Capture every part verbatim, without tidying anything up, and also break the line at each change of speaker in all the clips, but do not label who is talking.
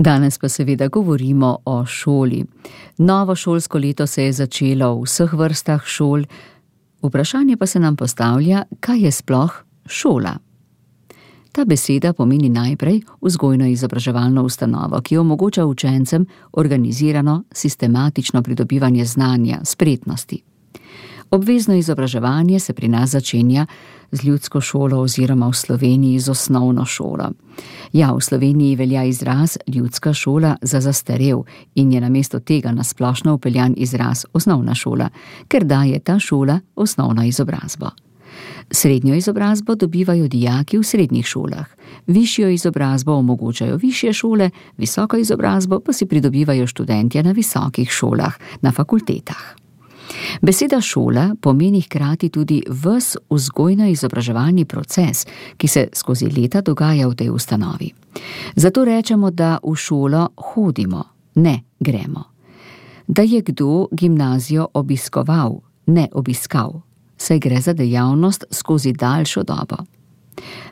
Danes pa seveda govorimo o šoli. Novo šolsko leto se je začelo v vseh vrstah šol. Vprašanje pa se nam postavlja, kaj je sploh šola? Ta beseda pomeni najprej vzgojno-izobraževalno ustanovo, ki omogoča učencem organizirano, sistematično pridobivanje znanja, spretnosti. Obvezno izobraževanje se pri nas začenja z ljudsko šolo oziroma v Sloveniji z osnovno šolo. Ja, v Sloveniji velja izraz ljudska šola za zastarel in je namesto tega na splošno vpeljan izraz osnovna šola, ker daje ta šola osnovno izobrazbo. Srednjo izobrazbo dobivajo dijaki v srednjih šolah, višjo izobrazbo omogočajo višje šole, visoko izobrazbo pa si pridobivajo študentje na visokih šolah, na fakultetah. Beseda šola pomeni hkrati tudi ves vzgojno-izobraževalni proces, ki se skozi leta dogaja v tej ustanovi. Zato rečemo, da v šolo hodimo, ne gremo. Da je kdo gimnazijo obiskoval, ne obiskal, saj gre za dejavnost skozi daljšo dobo.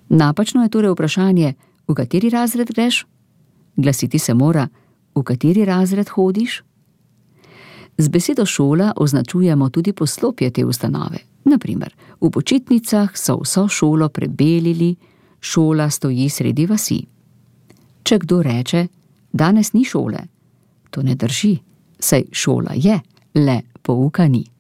Napačno je torej vprašanje, v kateri razred greš? Glasiti se mora, v kateri razred hodiš? Z besedo šola označujemo tudi poslopje te ustanove. Naprimer, v počitnicah so vso šolo prebelili, šola stoji sredi vasi. Če kdo reče, danes ni šole, to ne drži, saj šola je, le pouka ni.